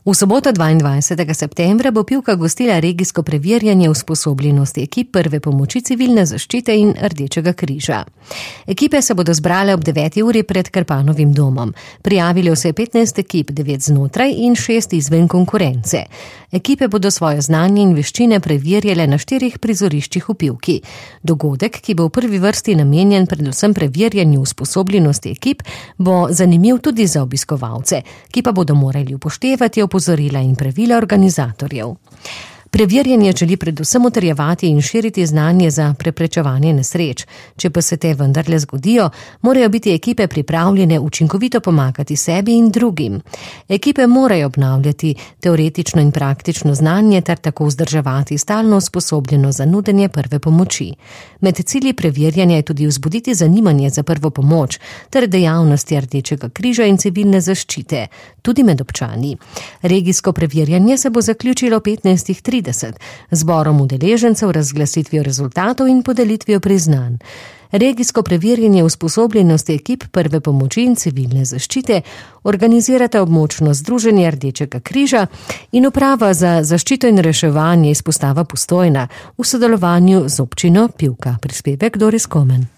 V soboto 22. septembra bo Pivka gostila regijsko preverjanje usposobljenosti ekip prve pomoči civilne zaščite in Rdečega križa. Ekipe se bodo zbrale ob 9. uri pred Krpanovim domom. Prijavilo se je 15 ekip, 9 znotraj in 6 izven konkurence. Ekipe bodo svoje znanje in veščine preverjale na 4 prizoriščih v Pivki. Dogodek, ki bo v prvi vrsti namenjen predvsem preverjanju usposobljenosti ekip, bo zanimiv tudi za obiskovalce, ki pa bodo morali upoštevati opozorila in pravila organizatorjev. Preverjanje želi predvsem utrjevati in širiti znanje za preprečevanje nesreč. Če pa se te vendarle zgodijo, morajo biti ekipe pripravljene učinkovito pomagati sebi in drugim. Ekipe morajo obnavljati teoretično in praktično znanje ter tako vzdrževati stalno usposobljenost za nudenje prve pomoči. Med cilji preverjanja je tudi vzbuditi zanimanje za prvo pomoč ter dejavnosti Rdečega križa in civilne zaščite, tudi med občani. Regijsko preverjanje se bo zaključilo 15:30 zborom udeležencev, razglasitvijo rezultatov in podelitvijo priznanj. Regijsko preverjanje usposobljenosti ekip prve pomoči in civilne zaščite organizirata območno združenje Rdečega križa in Uprava za zaščito in reševanje izpostava Postojna v sodelovanju z občino Pivka. Prispevek Doris Komen.